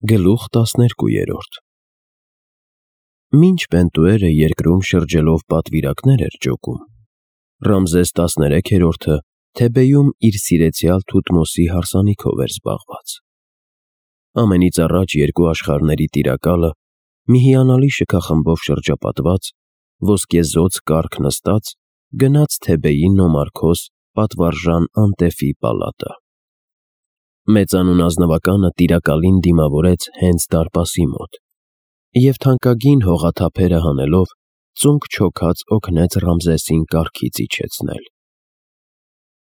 Գլուխ 12 Մինչ Պենտուերը երկրում շրջելով պատվիրակներ էր ջոկում, Ռամզես 13-րդը Թեբեյում իր սիրեցյալ Թութմոսի հարսանիքով էր զբաղված։ Ամենից առաջ երկու աշխարհների տիրակալը մի հիանալի շքախմբով շրջապատված, ոսկեզօծ կառք նստած, գնաց Թեբեյի նոմարքոս պատվարժան Անտեֆի պալատը։ Մեծանուն ազնվականը տիրակալին դիմավորեց հենց դարպասի մոտ, և թանկագին հողաթափերը հանելով, ծունկ չոքած օգնեց Ռամզեսին կառքից իջեցնել։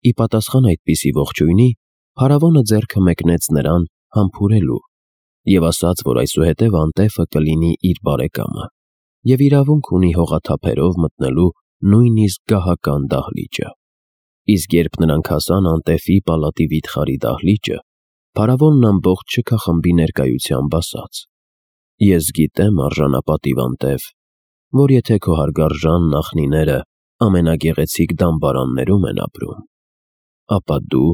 Ի պատասխան այդպիսի ողջույնի, փարավոնը ձեռքը մեկնեց նրան համբուրելու և ասաց, որ այսուհետև Անտեֆը կլինի իր բարեկամը և իրավունք ունի հողաթափերով մտնելու նույնիսկ գահական դահլիճը։ Իսկ երբ նրանք հասան Անտեֆի պալատի վիթխարի դահլիճը, փարավոնն ամբողջ շքախմբի ներկայությամբ ասաց. «Ես գիտեմ, արժանապատիվ Անտեֆ, որ եթե քո հարգարժան նախնիները ամենագեղեցիկ դամբարաններում են ապրում, ապա դու,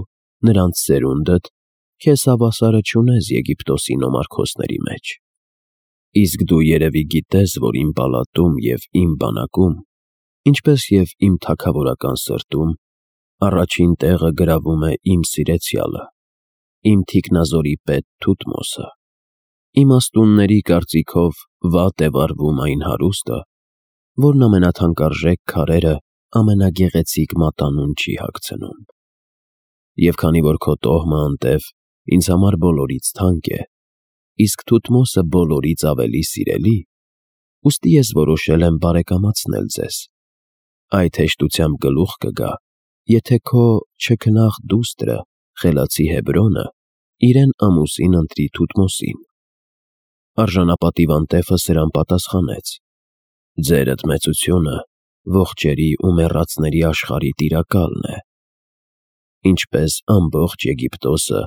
նրանց սերունդդ, քեզ հավասարը չունես Եգիպտոսի նոմարքոսների մեջ։ Իսկ դու երևի գիտես, որ իմ պալատում և իմ բանակում, ինչպես և իմ թագավորական սրտում, առաջին տեղը գրավում է իմ սիրեցյալը, իմ թիկնազորի պետ Թութմոսը։ Իմաստունների կարծիքով վատ է վարվում այն հարուստը, որն ամենաթանկարժեք քարերը ամենագեղեցիկ մատանուն չի հագցնում։ Եվ քանի որ քո տոհմը, Անտեֆ, ինձ համար բոլորից թանկ է, իսկ Թութմոսը բոլորից ավելի սիրելի, ուստի ես որոշել եմ բարեկամացնել ձեզ։ Այդ հեշտությամբ գլուխ կգա, եթե քո չքնաղ դուստրը, խելացի Հեբրոնը, իրեն ամուսին ընտրի Թութմոսին։ Արժանապատիվ Անտեֆը սրան պատասխանեց. «Ձերդ մեծությունը ողջերի ու մեռածների աշխարհի տիրակալն է։ Ինչպես ամբողջ Եգիպտոսը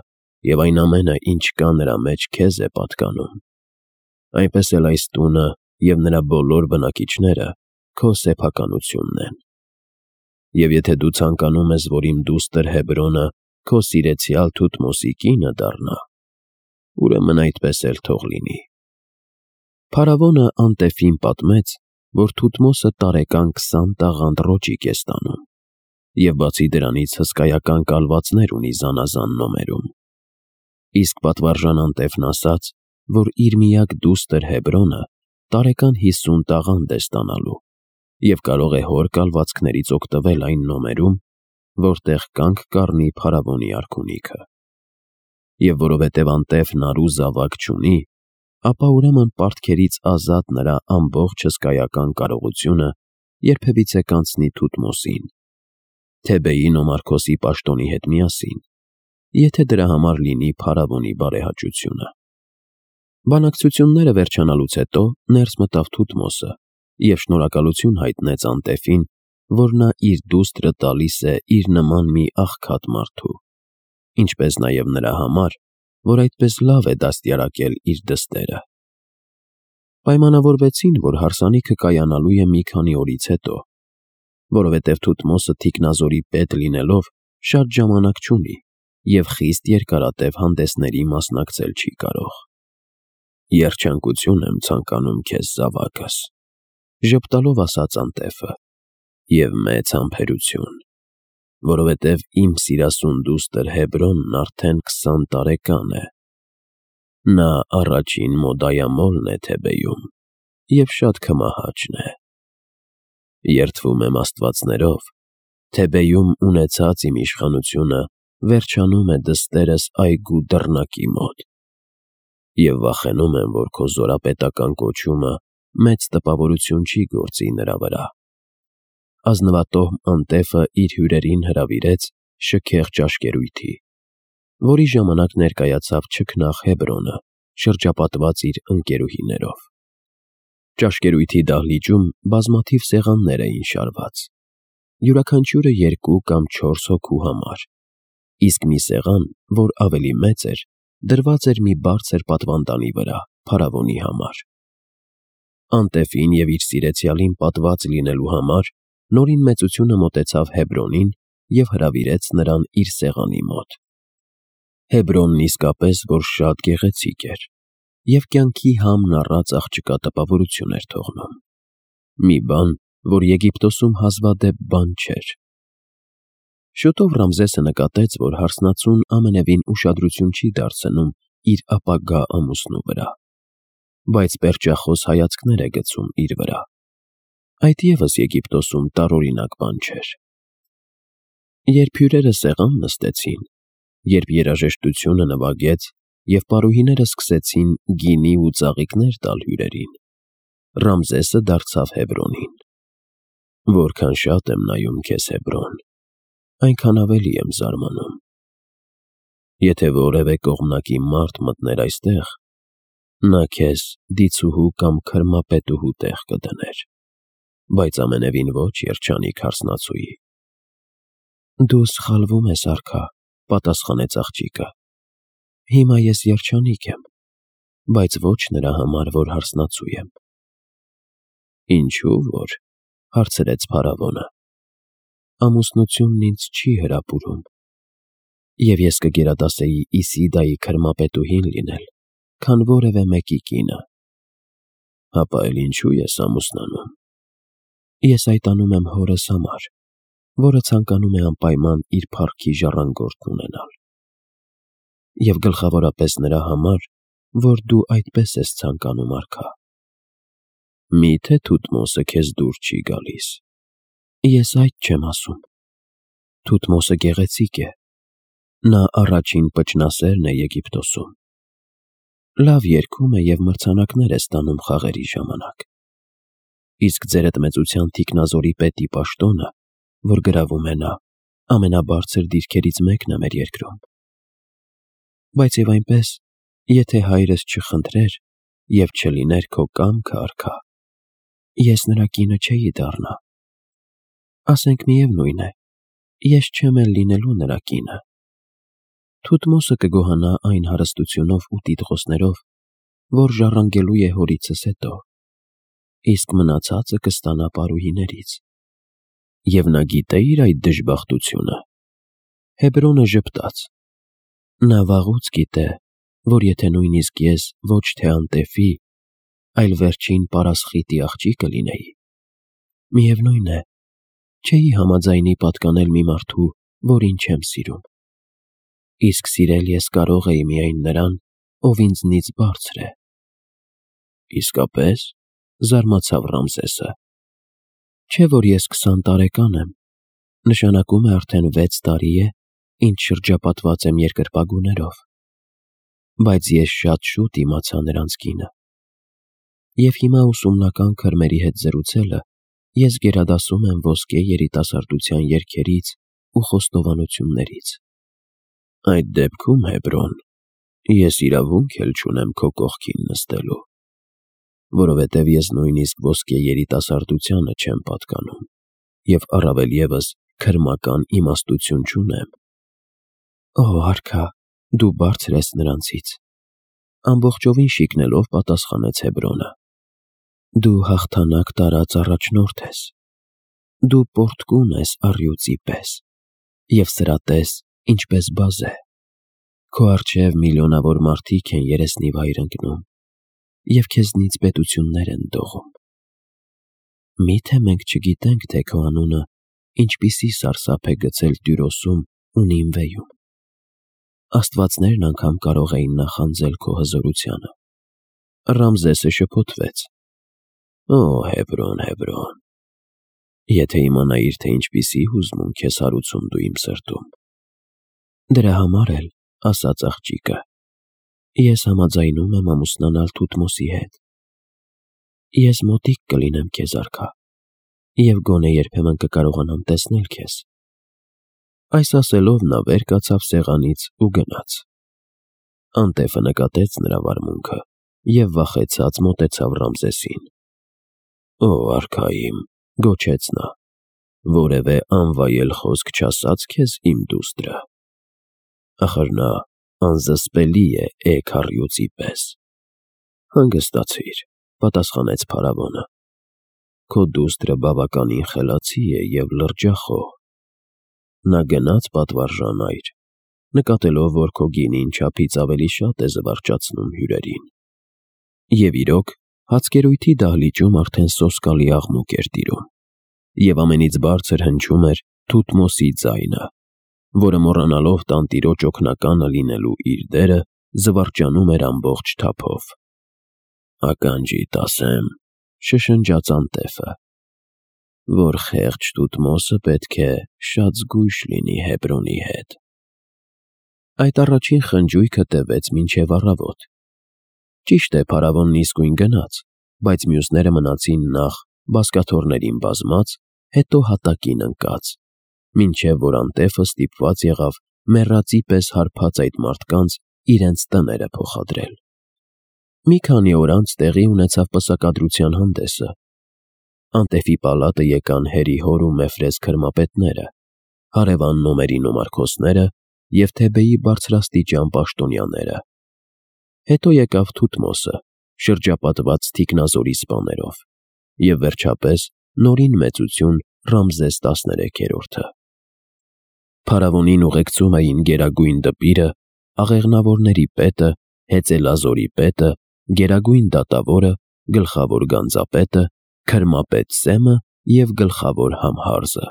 և այն ամենը, ինչ կա նրա մեջ, քեզ է պատկանում, այնպես էլ այս տունը և նրա բոլոր բնակիչները քո սեփականությունն են։ Եվ եթե դու ցանկանում ես, որ իմ դուստր Հեբրոնը քո սիրեցյալ Թութմոսի կինը դառնա, ուրեմն այդպես էլ թող լինի»։ Փարավոնը Անտեֆին պատմեց, որ Թութմոսը տարեկան 20 տաղանդ ռոճիկ է ստանում, և բացի դրանից հսկայական կալվածներ ունի զանազան նոմերում։ Իսկ պատվարժան Անտեֆն ասաց, որ իր միակ դուստր Հեբրոնը տարեկան 50 տաղանդ է ստանալու և կարող է հոր կալվածքներից օգտվել այն նոմերում, որտեղ կանգ կառնի փարավոնի արքունիքը։ Եվ որովհետև Անտեֆն առու զավակ չունի, ապա ուրեմն պարտքերից ազատ նրա ամբողջ հսկայական կարողությունը երբևիցե կանցնի Թութմոսին, Թեբեյի նոմարքոսի պաշտոնի հետ միասին, եթե դրա համար լինի փարավոնի բարեհաճությունը։ Բանակցությունները վերջանալուց հետո ներս մտավ Թութմոսը և շնորհակալություն հայտնեց Անտեֆին, որ նա իր դուստրը տալիս է իր նման մի աղքատ մարդու, ինչպես նաև նրա համար, որ այդպես լավ է դաստիարակել իր դստերը։ Պայմանավորվեցին, որ հարսանիքը կայանալու է մի քանի օրից հետո, որովհետև Թութմոսը թիկնազորի պետ լինելով շատ ժամանակ չունի և խիստ երկարատև հանդեսների մասնակցել չի կարող։ «Երջանկություն եմ ցանկանում քեզ, զավակս», ժպտալով ասաց Անտեֆը, «և մեծ համբերություն, որովհետև իմ սիրասուն դուստր Հեբրոնն արդեն 20 տարեկան է։ Նա առաջին մոդայամոլն է Թեբեյում և շատ քմահաճն է։ Երդվում եմ աստվածներով, Թեբեյում ունեցած իմ իշխանությունը վերջանում է դստերս այգու դռնակի մոտ, և վախենում եմ, որ քո զորապետական կոչումը մեծ տպավորություն չի գործի նրա վրա»։ Ազնվատոհմ Անտեֆը իր հյուրերին հրավիրեց շքեղ ճաշկերույթի, որի ժամանակ ներկայացավ չքնաղ Հեբրոնը, շրջապատված իր ընկերուհիներով։ Ճաշկերույթի դահլիճում բազմաթիվ սեղաններ էին շարված, յուրաքանչյուրը 2 կամ 4 հոգու համար, իսկ մի սեղան, որ ավելի մեծ էր, դրված էր մի բարձր պատվանդանի վրա փարավոնի համար։ Անտեֆին և իր սիրեցյալին պատված լինելու համար Նորին մեծությունը մոտեցավ Հեբրոնին և հրավիրեց նրան իր սեղանի մոտ։ Հեբրոնն իսկապես որ շատ գեղեցիկ էր, և կյանքի համն առած աղջկա տպավորություն էր թողնում։ Մի բան, որ Եգիպտոսում հազվադեպ բան չէր։ Շուտով Ռամզեսը նկատեց, որ հարսնացուն ամենևին ուշադրություն չի դարձնում իր ապագա ամուսնու վրա, բայց պերճախոս հայացքներ է գցում իր վրա։ Այդ ևս Եգիպտոսում տարօրինակ բան չէր։ Երբ հյուրերը սեղան նստեցին, երբ երաժշտությունը նվագեց և պարուհիները սկսեցին գինի ու ծաղիկներ տալ հյուրերին, Ռամզեսը դարձավ Հեբրոնին. «Որքան շատ եմ նայում քեզ, Հեբրոն, այնքան ավելի եմ զարմանում։ Եթե որևէ կողմնակի մարդ մտներ այստեղ, նա քեզ դիցուհու կամ քրմապետուհու տեղ կդներ, բայց ամենևին ոչ երջանիկ հարսնացուի»։ «Դու սխալվում ես, արքա», պատասխանեց աղջիկը։ «Հիմա ես երջանիկ եմ, բայց ոչ նրա համար, որ հարսնացու եմ»։ «Ինչու՞ որ», հարցրեց փարավոնը, «ամուսնությունն ինձ չի հրապուրում, և ես կգերադասեի Իսիդայի քրմապետուհին լինել, քան որևէ մեկի կինը»։ «Հապա էլ ինչու ես ամուսնանում»։ «Ես այդ անում եմ հորս համար, որը ցանկանում է անպայման իր փառքի ժառանգորդն ունենալ, և գլխավորապես նրա համար, որ դու այդպես ես ցանկանում, արքա»։ «Մի՞թե Թութմոսը քեզ դուր չի գալիս»։ «Ես այդ չեմ ասում։ Թութմոսը գեղեցիկ է, նա առաջին պճնասերն է Եգիպտոսում, լավ երգում է և մրցանակներ է ստանում խաղերի ժամանակ, իսկ ձերդ թիկնազորի պետի պաշտոնը, որ գրավում է նա, ամենաբարձր դիրքերից մեկն է մեր երկրում։ Բայց և այնպես, եթե հայրս չխնդրեր և չլիներ քո կամքը, արքա, ես նրա կինը չէի դառնա։ Ասենք միևնույն է, ես չեմ էլ լինելու նրա կինը։ Թութմոսը կգոհանա այն հարստությունով ու տիտղոսներով, որ ժառանգելու է հորիցս հետո, իսկ մնացածը կստանա պարուհիներից։ Եվ նա գիտե՞իր այդ դժբախտությունը»։ Հեբրոնը ժպտաց։ Նա վաղուց գիտե, որ եթե նույնիսկ ես ոչ թե անտեֆի, այլ վերջին պարասխիտի աղջիկը լինեի, միևնույն է, չէի համաձայնի պատկանել մի մարդու, որին չեմ սիրում, իսկ սիրել ես կարող էի միայն նրան, ով ինձնից բարձր է։ «Իսկապես», զարմացավ Ռամզեսը, «չէ՞ որ ես 20 տարեկան եմ, նշանակում է արդեն 6 տարի է, ինչ շրջապատված եմ երկրպագուներով, բայց ես շատ շուտ իմացա նրանց կինը, և հիմա ուսումնական քրմերի հետ զրուցելը ես գերադասում եմ ոսկե երիտասարդության երգերից ու խոստովանություններից»։ «Այդ դեպքում, Հեբրոն, ես իրավունք էլ չունեմ քո կողքին նստելու, որովհետև ես նույնիսկ ոսկե երիտասարդությանը չեմ պատկանում և առավել ևս քրմական իմաստություն չունեմ»։ «Օ, արքա, դու բարձր ես նրանցից», ամբողջովին շիկնելով պատասխանեց Հեբրոնը։ «Դու հաղթանակ տարած առաջնորդ ես, դու պոռթկուն ես առյուծի պես և սրատես, ինչպես բազե, քո առջև միլիոնավոր մարդիկ են երեսնիվայր ընկնում և քեզնից պետություններ են դողում։ Մի՞թե մենք չգիտենք, թե քո անունը ինչպիսի սարսափ է գցել Տյուրոսում ու Նինվեում։ Աստվածներն անգամ կարող էին նախանձել քո հզորությանը»։ Ռամզեսը շփոթվեց. «Օ, Հեբրոն, Հեբրոն, եթե իմանայիր, թե ինչպիսի հուզմունք ես հարուցում դու իմ սրտում»։ «Դրա համար էլ, ասաց աղջիկը, ես համաձայնում եմ ամուսնանալ Թութմոսի հետ։ Ես մոտիկ կլինեմ քեզ, արքա, և գոնե երբեմն կկարողանամ տեսնել քեզ»։ Այս ասելով նա վեր կացավ սեղանից ու գնաց։ Անտեֆը նկատեց նրա վարմունքը և վախեցած մոտեցավ Ռամզեսին։ «Օ, արքա իմ», գոչեց նա, «որևէ անվայել խոսք չասա՞ց քեզ իմ դուստրը։ Ախր նա անզսպելի է քառյուծի պես»։ «Հանգստացիր», պատասխանեց փարավոնը, «քո դուստրը բավականին խելացի է և լրջախոհ։ Նա գնաց պատվարժան այր, նկատելով, որ քո գինին չափից ավելի շատ է զվարճացնում հյուրերին, Եվ իրոք, հացկերույթի դահլիճում արդեն սոսկալի աղմուկ էր տիրում, և ամենից բարձր հնչում էր Թութմոսի ձայնը, որը մոռանալով տանտիրոջ օգնականը լինելու իր դերը, զվարճանում էր ամբողջ թափով։ «Ականջիդ ասեմ», շշնջաց անտέφը, «որ խեղճ Թութմոսը պետք է շատ զգույշ լինի Հեբրոնի հետ»։ Այդ առաջին խնջույքը տևեց մինչև առավոտ։ Ճիշտ է, փարավոնն իսկույն գնաց, բայց մյուսները մնացին նախ բազկաթոռներին բազմած, հետո հատակին ընկած, մինչև որ անտέφը ստիպված եղավ մեռածի պես հարբած այդ մարդկանց իրենց տները փոխադրել։ Մի քանի օր անց տեղի ունեցավ պսակադրության հանդեսը։ Անտέφի պալատը եկան Հերի հոր ու Մեֆրես քրմապետները, հարևան նոմերի նոմարքոսները և Թեբեի բարձրաստիճան պաշտոնյաները։ Հետո եկավ Թութմոսը, շրջապատված թիկնազորի սպաներով, և վերջապես նորին մեծություն Ռամզես 13-րդը։ Փարավոնին ուղեկցում էին Գերագույն դպիրը, աղեղնավորների պետը, հեծելազորի պետը, գերագույն դատավորը, գլխավոր գանձապետը, քրմապետ Սեմը և գլխավոր Համհարզը։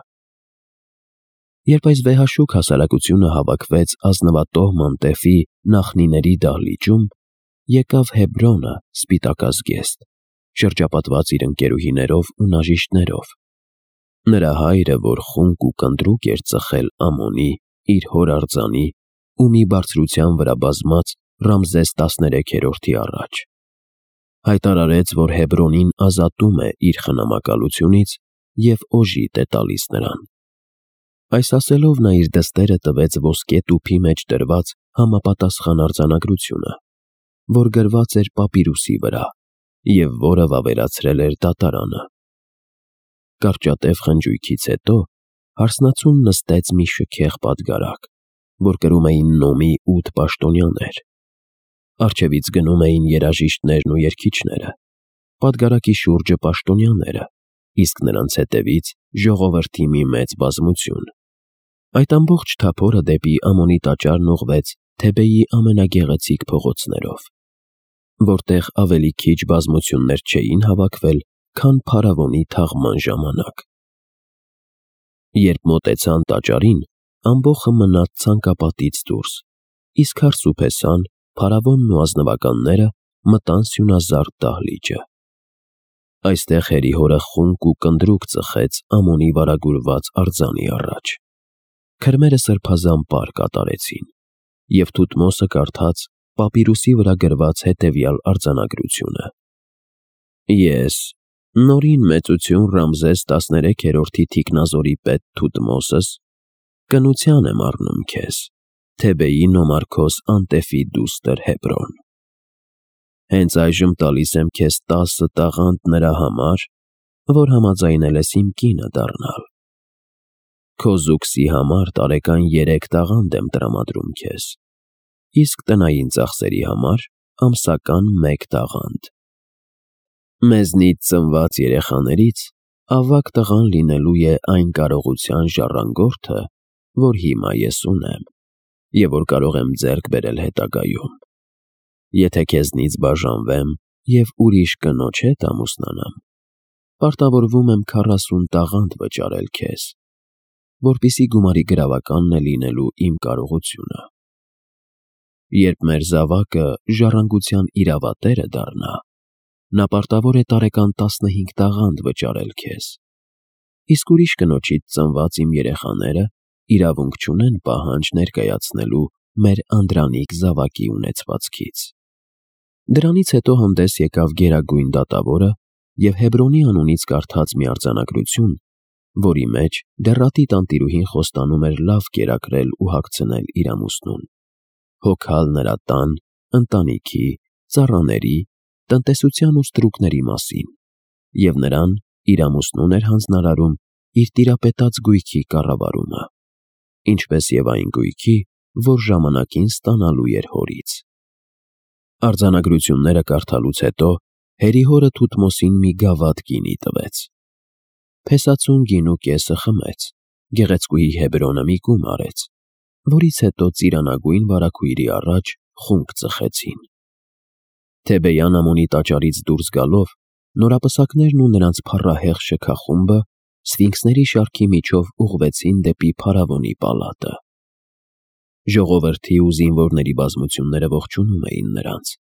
Երբ այս վեհաշուք հասարակությունը հավաքվեց ազնվատոհ անտέφի նախնիների դահլիճում, եկավ Հեբրոնը սպիտակազգեստ, շրջապատված իր ընկերուհիներով ու նաժիշտներով։ Նրա հայրը, որ խունկ ու կնդրուկ էր ծխել Ամոնի, իր հոր արձանի ու մի բարձրության վրա բազմած Ռամզես 13-րդի առաջ, հայտարարեց, որ Հեբրոնին ազատում է իր խնամակալությունից և օժիտ է տալիս նրան։ Այս ասելով նա իր դստերը տվեց ոսկե տուփի մեջ դրված համապատասխան արձանագրությունը, որ գրված էր պապիրուսի վրա և որը վավերացրել էր դատարանը։ Կարճատև խնջույքից հետո հարսնացուն նստեց մի շքեղ պատգարակ, որ կրում էին նոմի 8 պաշտոնյաներ։ Առջևից գնում էին երաժիշտներն ու երգիչները, պատգարակի շուրջը պաշտոնյաները, իսկ նրանց հետևից ժողովրդի մի մեծ բազմություն։ Այդ ամբողջ թափորը դեպի Ամոնի տաճարն ուղղվեց Թեբեի ամենագեղեցիկ փողոցներով, որտեղ ավելի քիչ բազմություններ չէին հավաքվել, քան փարավոնի թաղման ժամանակ։ Երբ մոտեցան տաճարին, ամբոխը մնաց ցանկապատից դուրս, իսկ հարսուփեսան, փարավոնն ու ազնվականները մտան սյունազարդ դահլիճը։ Այստեղ Հերի հորը խունկ ու կնդրուկ ծխեց Ամոնի վարագուրված արձանի առաջ։ Քրմերը սրբազան պար կատարեցին, և Թութմոսը կարդաց պապիրուսի վրա գրված հետևյալ արձանագրությունը. «Ես, նորին մեծություն Ռամզես 13-րդի թիկնազորի պետ Թութմոսս, կնության եմ առնում քեզ, Թեբեի նոմարքոս Անտέφի դուստր Հեբրոն։ Հենց այժմ տալիս եմ քեզ 10 տաղանդ նրա համար, որ համաձայնել ես իմ կինը դառնալ։ Քո զուգսի համար տարեկան 3 տաղանդ եմ տրամադրում քեզ, իսկ տնային ծախսերի համար ամսական 1 տաղանդ։ Մեզնից ծնված երեխաներից ավագ տղան լինելու է այն կարողության ժառանգորդը, որ հիմա ես ունեմ, և որ կարող եմ ձեռք բերել հետագայում։ Եթե քեզնից բաժանվեմ և ուրիշ կնոջ հետ ամուսնանամ, պարտավորվում եմ 40 տաղանդ վճարել քեզ, որպեսզի գումարի գրավականն է լինելու իմ կարողությունը։ Երբ մեր զավակը ժառանգության իրավատերը դառնա, նա պարտավոր է տարեկան 15 տաղանդ վճարել քեզ, իսկ ուրիշ կնոջից ծնված իմ երեխաները իրավունք չունեն պահանջ ներկայացնելու մեր անդրանիկ զավակի ունեցվածքից»։ Դրանից հետո հանդես եկավ գերագույն դատավորը և Հեբրոնի անունից կարդաց մի արձանագրություն, որի մեջ դեռատի տանտիրուհին խոստանում էր լավ կերակրել ու հագցնել իր ամուսնուն, հոգալ նրա տան, ընտանիքի, ծառաների, տնտեսության ու ստրուկների մասին, և նրան իր ամուսնուն էր հանձնարարում իր տիրապետած գույքի կառավարումը, ինչպես և այն գույքի, որ ժամանակին ստանալու էր հորից։ Արձանագրությունները կարդալուց հետո Հերի հորը Թութմոսին մի գավաթ գինի տվեց։ Փեսացուն գինու կեսը խմեց, գեղեցկուհի Հեբրոնը մի կում արեց, որից հետո ծիրանագույն վարագույրի առաջ խունկ ծխեցին։ Թեբեյան ամոնի տաճարից դուրս գալով, նորապսակներն ու նրանց փառահեղ շքախումբը սֆինքսների շարքի միջով ուղղվեցին դեպի փարավոնի պալատը։ Ժողովրդի ու զինվորների բազմությունները ողջունում էին նրանց,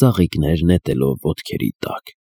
ծաղիկներ նետելով ոտքերի տակ։